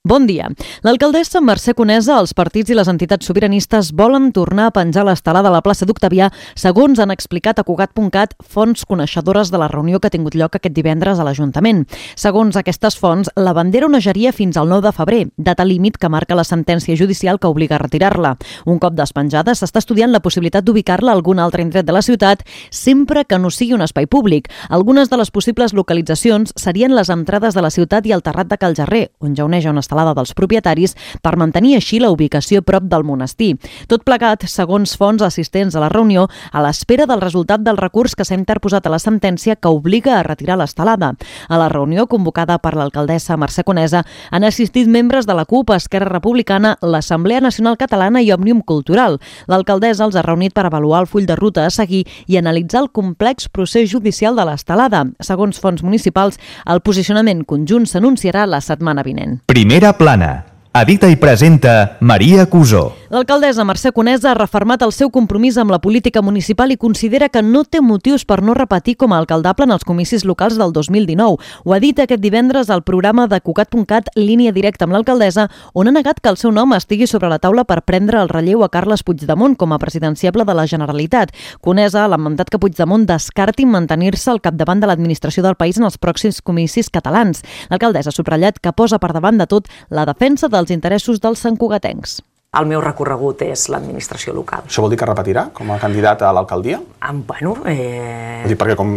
Bon dia. L'alcaldessa Mercè Conesa, els partits i les entitats sobiranistes volen tornar a penjar l'estelada a la plaça d'Octavià, segons han explicat a Cugat.cat fonts coneixedores de la reunió que ha tingut lloc aquest divendres a l'Ajuntament. Segons aquestes fonts, la bandera onejaria fins al 9 de febrer, data límit que marca la sentència judicial que obliga a retirar-la. Un cop despenjada, s'està estudiant la possibilitat d'ubicar-la a algun altre indret de la ciutat, sempre que no sigui un espai públic. Algunes de les possibles localitzacions serien les entrades de la ciutat i el terrat de Cal Jarrer, on ja oneja una estelada dels propietaris, per mantenir així la ubicació prop del monestir. Tot plegat, segons fonts assistents a la reunió, a l'espera del resultat del recurs que s'ha interposat a la sentència que obliga a retirar l'estelada. A la reunió, convocada per l'alcaldessa Mercè Conesa, han assistit membres de la CUP, Esquerra Republicana, l'Assemblea Nacional Catalana i Òmnium Cultural. L'alcaldessa els ha reunit per avaluar el full de ruta a seguir i analitzar el complex procés judicial de l'estelada. Segons fonts municipals, el posicionament conjunt s'anunciarà la setmana vinent. Primera plana. Edita i presenta Maria Cusó. L'alcaldessa Mercè Conesa ha refermat el seu compromís amb la política municipal i considera que no té motius per no repetir com a alcaldable en els comicis locals del 2019. Ho ha dit aquest divendres al programa de Cugat.cat Línia Directa amb l'alcaldessa, on ha negat que el seu nom estigui sobre la taula per prendre el relleu a Carles Puigdemont com a presidenciable de la Generalitat. Conesa ha lamentat que Puigdemont descarti mantenir-se al capdavant de l'administració del país en els pròxims comicis catalans. L'alcaldessa ha subratllat que posa per davant de tot la defensa dels interessos dels santcugatencs. El meu recorregut és l'administració local. Això vol dir que repetirà com a candidat a l'alcaldia? Bueno, Vull dir, perquè com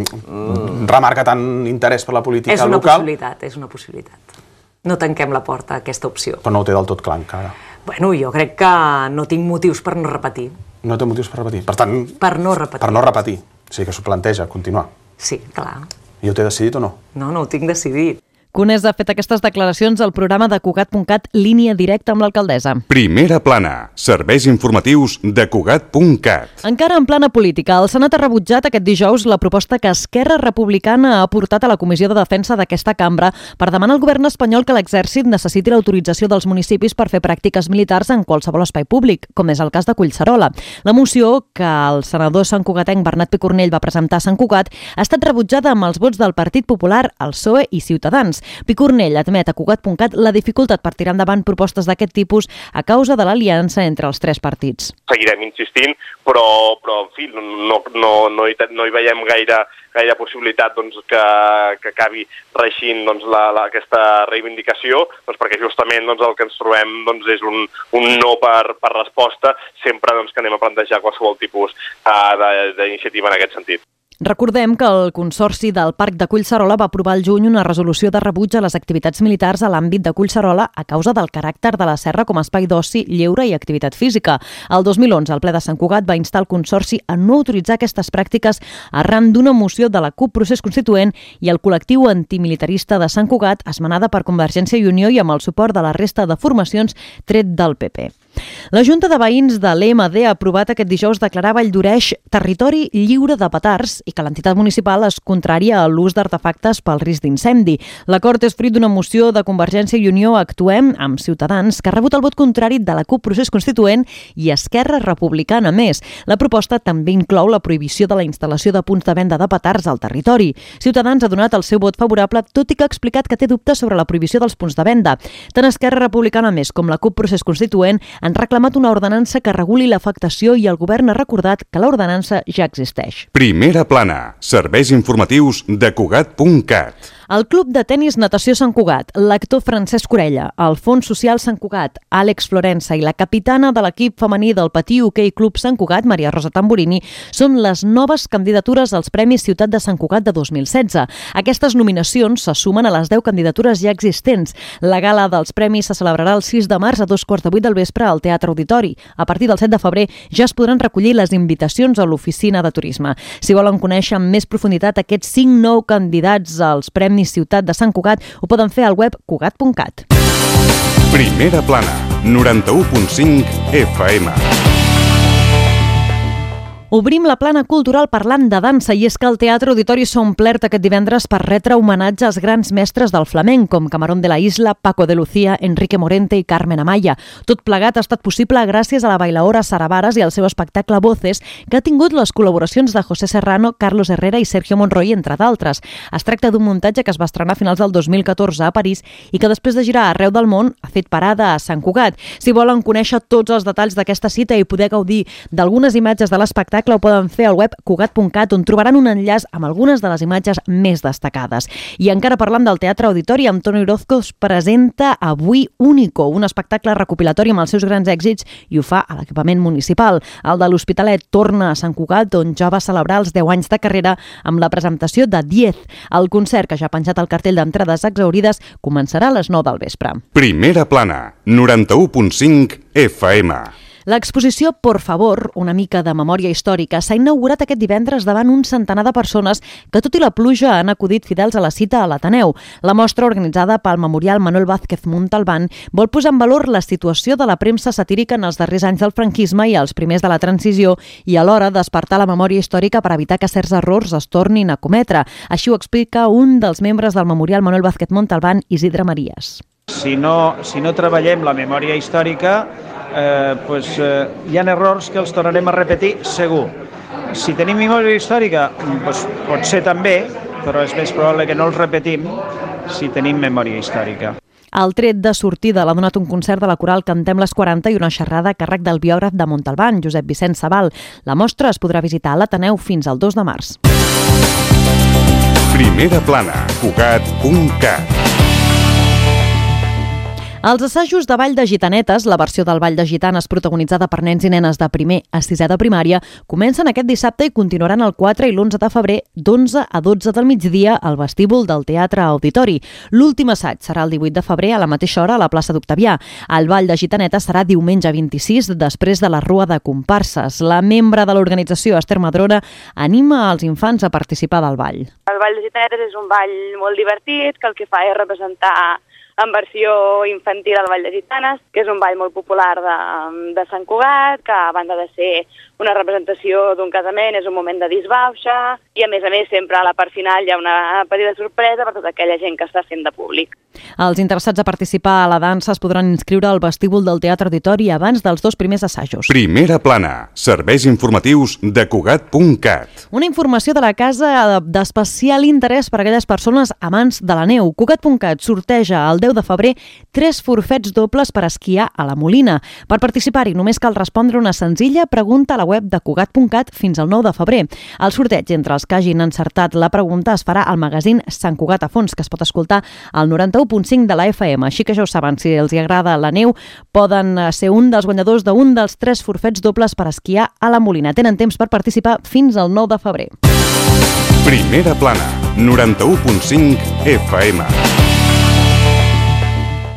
remarca tant interès per la política local... És una possibilitat. No tanquem la porta a aquesta opció. Però no ho té del tot clar encara. Bueno, jo crec que no tinc motius per no repetir. No té motius per repetir. Per tant... Per no repetir. Per no repetir. O sigui que s'ho planteja, continuar. Sí, clar. I ho té decidit o no? No ho tinc decidit. Conesa ha fet aquestes declaracions al programa de Cugat.cat Línia Directa amb l'alcaldessa. Primera plana. Serveis informatius de Cugat.cat. Encara en plana política, el Senat ha rebutjat aquest dijous la proposta que Esquerra Republicana ha portat a la Comissió de Defensa d'aquesta cambra per demanar al govern espanyol que l'exèrcit necessiti l'autorització dels municipis per fer pràctiques militars en qualsevol espai públic, com és el cas de Collserola. La moció que el senador santcugatenc Bernat Picornell va presentar a Sant Cugat ha estat rebutjada amb els vots del Partit Popular, el PSOE i Ciutadans. Picornell admet a Cugat.cat la dificultat per tirar endavant propostes d'aquest tipus a causa de l'aliança entre els tres partits. Seguirem insistint, però en fi, no hi veiem gaire possibilitat que acabi reixint aquesta reivindicació, perquè justament el que ens trobem és un no per resposta sempre que anem a plantejar qualsevol tipus d'iniciativa en aquest sentit. Recordem que el Consorci del Parc de Collserola va aprovar al juny una resolució de rebuig a les activitats militars a l'àmbit de Collserola a causa del caràcter de la serra com a espai d'oci, lleure i activitat física. El 2011, el ple de Sant Cugat va instar el Consorci a no autoritzar aquestes pràctiques arran d'una moció de la CUP Procés Constituent i el col·lectiu antimilitarista de Sant Cugat, esmenada per Convergència i Unió i amb el suport de la resta de formacions tret del PP. La Junta de Veïns de l'EMD ha aprovat aquest dijous declarar Valldoreix territori lliure de petards i que l'entitat municipal es contrària a l'ús d'artefactes pel risc d'incendi. L'acord és fruit d'una moció de Convergència i Unió Actuem amb Ciutadans que ha rebut el vot contrari de la CUP Procés Constituent i Esquerra Republicana més. La proposta també inclou la prohibició de la instal·lació de punts de venda de petards al territori. Ciutadans ha donat el seu vot favorable, tot i que ha explicat que té dubtes sobre la prohibició dels punts de venda. Tant Esquerra Republicana més com la CUP Procés Constituent han reclamat una ordenança que reguli l'afectació i el govern ha recordat que l'ordenança ja existeix. Primera plana. Serveis informatius de Cugat.cat. El Club de Tenis Natació Sant Cugat, l'actor Francesc Orella, el Fons Social Sant Cugat, Àlex Florença i la capitana de l'equip femení del Patí Hoquei Club Sant Cugat, Maria Rosa Tamburini, són les noves candidatures als Premis Ciutat de Sant Cugat de 2016. Aquestes nominacions se sumen a les 10 candidatures ja existents. La gala dels premis se celebrarà el 6 de març a 2:15 del vespre al Teatre Auditori. A partir del 7 de febrer ja es podran recollir les invitacions a l'oficina de turisme. Si volen conèixer amb més profunditat aquests 5 nous candidats als Premis Ciutat de Sant Cugat, ho poden fer al web Cugat.cat. Primera plana, 91.5 FM. Obrim la plana cultural parlant de dansa i és que el Teatre Auditori s'ha omplert aquest divendres per retre homenatge als grans mestres del flamenc com Camarón de la Isla, Paco de Lucía, Enrique Morente i Carmen Amaya. Tot plegat ha estat possible gràcies a la bailaora Sara Varas i al seu espectacle Voces, que ha tingut les col·laboracions de José Serrano, Carlos Herrera i Sergio Monroy, entre d'altres. Es tracta d'un muntatge que es va estrenar a finals del 2014 a París i que després de girar arreu del món ha fet parada a Sant Cugat. Si volen conèixer tots els detalls d'aquesta cita i poder gaudir d'algunes imatges de l'espectacle, ho poden fer al web cugat.cat, on trobaran un enllaç amb algunes de les imatges més destacades. I encara parlant del Teatre Auditori, Antonio Orozco presenta avui Único, un espectacle recopilatori amb els seus grans èxits, i ho fa a l'equipament municipal. El de l'Hospitalet torna a Sant Cugat, on ja va celebrar els 10 anys de carrera amb la presentació de 10. El concert, que ja ha penjat el cartell d'entrades exhaurides, començarà a les 9 del vespre. Primera plana, 91.5 FM. L'exposició Por Favor, una mica de memòria històrica, s'ha inaugurat aquest divendres davant un centenar de persones que, tot i la pluja, han acudit fidels a la cita a l'Ateneu. La mostra, organitzada pel Memorial Manuel Vázquez Montalbán, vol posar en valor la situació de la premsa satírica en els darrers anys del franquisme i els primers de la transició i alhora despertar la memòria històrica per evitar que certs errors es tornin a cometre. Així ho explica un dels membres del Memorial Manuel Vázquez Montalbán, Isidre Marías. Si no treballem la memòria històrica, hi ha errors que els tornarem a repetir segur. Si tenim memòria històrica, pot ser també, però és més probable que no els repetim si tenim memòria històrica. Al tret de sortida l'ha donat un concert de la coral Cantem les 40 i una xerrada a càrrec del biògraf de Montalbán, Josep Vicent Sabal. La mostra es podrà visitar a l'Ateneu fins al 2 de març. Primera plana, Cugat.cat. Els assajos de Ball de Gitanetes, la versió del Ball de Gitanes protagonitzada per nens i nenes de primer a sisè de primària, comencen aquest dissabte i continuaran el 4 i l'11 de febrer d'11 a 12 del migdia al vestíbul del Teatre Auditori. L'últim assaig serà el 18 de febrer a la mateixa hora a la plaça d'Octavià. El Ball de Gitanetes serà diumenge 26 després de la Rua de Comparses. La membre de l'organització, Esther Madrona, anima als infants a participar del ball. El Ball de Gitanetes és un ball molt divertit que el que fa és representar en versió infantil el Ball de Gitanes, que és un ball molt popular de Sant Cugat, que a banda de ser una representació d'un casament és un moment de disbauxa i a més sempre a la part final hi ha una petita sorpresa per tota aquella gent que està fent de públic. Els interessats a participar a la dansa es podran inscriure al vestíbul del Teatre Auditori abans dels 2 primers assajos. Primera plana, serveis informatius de Cugat.cat. Una informació de la casa d'especial interès per a aquelles persones amants de la neu. Cugat.cat sorteja el 10 de febrer 3 forfets dobles per esquiar a la Molina. Per participar-hi només cal respondre una senzilla pregunta a la web de Cugat.cat fins al 9 de febrer. El sorteig entre els que hagin encertat la pregunta es farà al magazín Sant Cugat a fons, que es pot escoltar al 91.5 de la FM. Així que ja ho saben, si els agrada la neu, poden ser un dels guanyadors d'un dels 3 forfets dobles per esquiar a la Molina. Tenen temps per participar fins al 9 de febrer. Primera plana, 91.5 FM.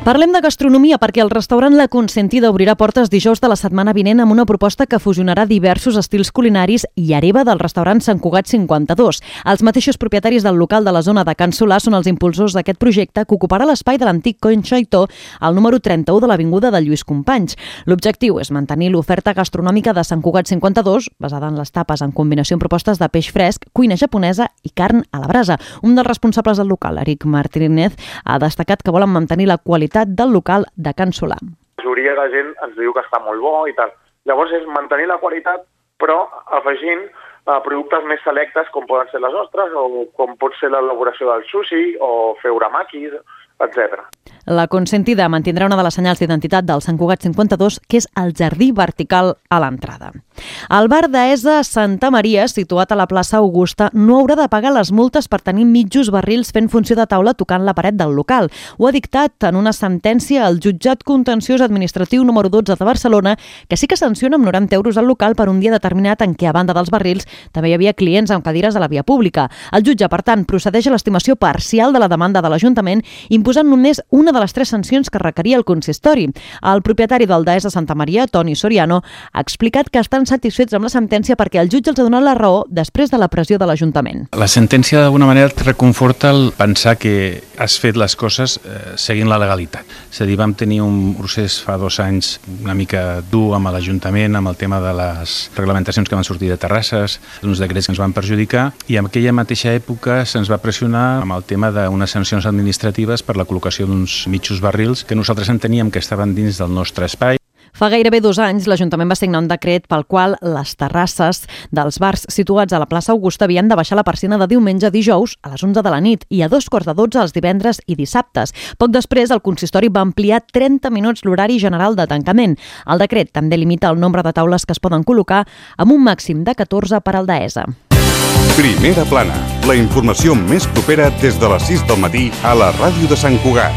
Parlem de gastronomia perquè el restaurant La Consentida obrirà portes dijous de la setmana vinent amb una proposta que fusionarà diversos estils culinaris i hereva del restaurant Sant Cugat 52. Els mateixos propietaris del local de la zona de Can Solà són els impulsors d'aquest projecte que ocuparà l'espai de l'antic Coin Xaitó al número 31 de l'avinguda de Lluís Companys. L'objectiu és mantenir l'oferta gastronòmica de Sant Cugat 52, basada en les tapes en combinació amb propostes de peix fresc, cuina japonesa i carn a la brasa. Un dels responsables del local, Eric Martínez, ha destacat que volen mantenir la qualitat del local de Can Solà. La majoria de gent ens diu que està molt bo i tal. Llavors és mantenir la qualitat, però afegint productes més selectes com poden ser les ostres o com pot ser l'elaboració del sushi o fer uramakis, etc. La Consentida mantindrà una de les senyals d'identitat del Sant Cugat 52, que és el jardí vertical a l'entrada. El bar d'Aesa Santa Maria, situat a la plaça Augusta, no haurà de pagar les multes per tenir mitjos barrils fent funció de taula tocant la paret del local. Ho ha dictat en una sentència el Jutjat Contenciós Administratiu número 12 de Barcelona, que sí que sanciona amb 90 euros al local per un dia determinat en què, a banda dels barrils, també hi havia clients amb cadires a la via pública. El jutge, per tant, procedeix a l'estimació parcial de la demanda de l'Ajuntament, imposant només una de les 3 sancions que requeria el consistori. El propietari del Daesa Santa Maria, Toni Soriano, ha explicat que estan mostren satisfets amb la sentència perquè el jutge els ha donat la raó després de la pressió de l'Ajuntament. La sentència d'alguna manera et reconforta el pensar que has fet les coses seguint la legalitat. És a dir, vam tenir un procés fa 2 anys una mica dur amb l'Ajuntament, amb el tema de les reglamentacions que van sortir de terrasses, uns decrets que ens van perjudicar, i en aquella mateixa època se'ns va pressionar amb el tema d'unes sancions administratives per la col·locació d'uns mitjos barrils que nosaltres enteníem que estaven dins del nostre espai. Fa gairebé 2 anys, l'Ajuntament va signar un decret pel qual les terrasses dels bars situats a la plaça Augusta havien de baixar la persiana de diumenge a dijous a les 11 de la nit i a 2:45 els divendres i dissabtes. Poc després, el consistori va ampliar 30 minuts l'horari general de tancament. El decret també limita el nombre de taules que es poden col·locar amb un màxim de 14 per al Daesa. Primera plana, la informació més propera des de les 6 del matí a la ràdio de Sant Cugat.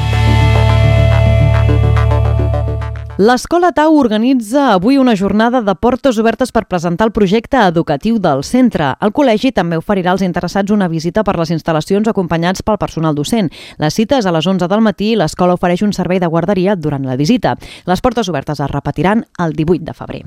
L'Escola Tau organitza avui una jornada de portes obertes per presentar el projecte educatiu del centre. El col·legi també oferirà als interessats una visita per les instal·lacions acompanyats pel personal docent. La cita és a les 11 del matí i l'escola ofereix un servei de guarderia durant la visita. Les portes obertes es repetiran el 18 de febrer.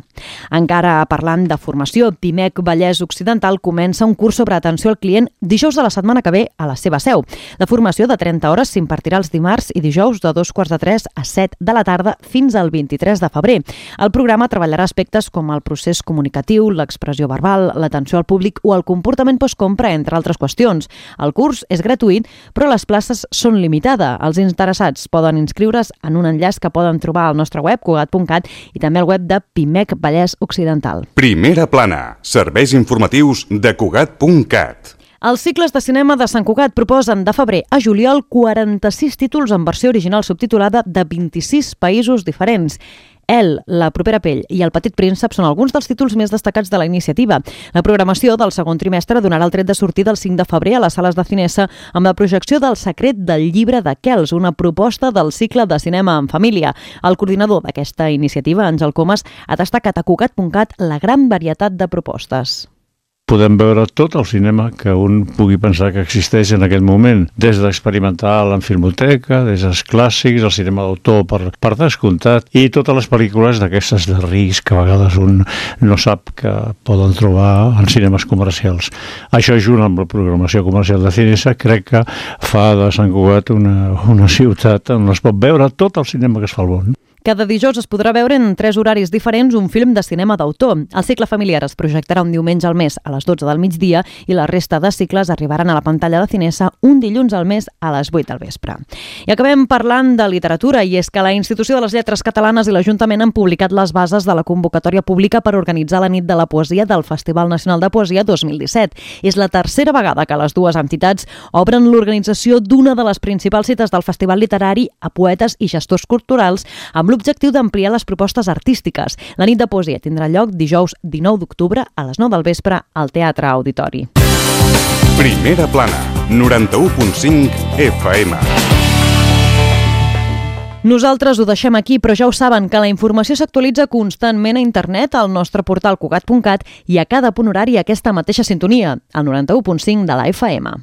Encara parlant de formació, Pimec Vallès Occidental comença un curs sobre atenció al client dijous de la setmana que ve a la seva seu. La formació de 30 hores s'impartirà els dimarts i dijous de 2:45 a 7 de la tarda fins al 23 de febrer. El programa treballarà aspectes com el procés comunicatiu, l'expressió verbal, l'atenció al públic o el comportament postcompra, entre altres qüestions. El curs és gratuït, però les places són limitades. Els interessats poden inscriure's en un enllaç que poden trobar al nostre web, cugat.cat, i també al web de Pimec Vallès Occidental. Primera plana, serveis informatius de cugat.cat. Els cicles de cinema de Sant Cugat proposen de febrer a juliol 46 títols en versió original subtitulada de 26 països diferents. El, La propera pell i El petit príncep són alguns dels títols més destacats de la iniciativa. La programació del segon trimestre donarà el tret de sortida el 5 de febrer a les sales de Cinesa amb la projecció del Secret del llibre de Kells, una proposta del cicle de cinema en família. El coordinador d'aquesta iniciativa, Àngel Comas, ha destacat a cugat.cat la gran varietat de propostes. Podem veure tot el cinema que un pugui pensar que existeix en aquest moment, des d'experimental en filmoteca, des dels clàssics, el cinema d'autor per descomptat, i totes les pel·lícules d'aquestes de risc que a vegades un no sap que poden trobar en cinemes comercials. Això, junt amb la programació comercial de Cinesa, crec que fa de Sant Cugat una ciutat on es pot veure tot el cinema que es fa al món. Cada dijous es podrà veure en 3 horaris diferents un film de cinema d'autor. El cicle familiar es projectarà un diumenge al mes a les 12 del migdia i la resta de cicles arribaran a la pantalla de Cinesa un dilluns al mes a les 8 del vespre. I acabem parlant de literatura, i és que la Institució de les Lletres Catalanes i l'Ajuntament han publicat les bases de la convocatòria pública per organitzar la nit de la poesia del Festival Nacional de Poesia 2017. És la tercera vegada que les dues entitats obren l'organització d'una de les principals cites del festival literari a poetes i gestors culturals amb l'objectiu d'ampliar les propostes artístiques. La nit de poesia tindrà lloc dijous 19 d'octubre a les 9 del vespre al Teatre Auditori. Primera plana, 91.5 FM. Nosaltres ho deixem aquí, però ja ho saben que la informació s'actualitza constantment a internet al nostre portal cugat.cat i a cada punt horari aquesta mateixa sintonia, el 91.5 de la FM.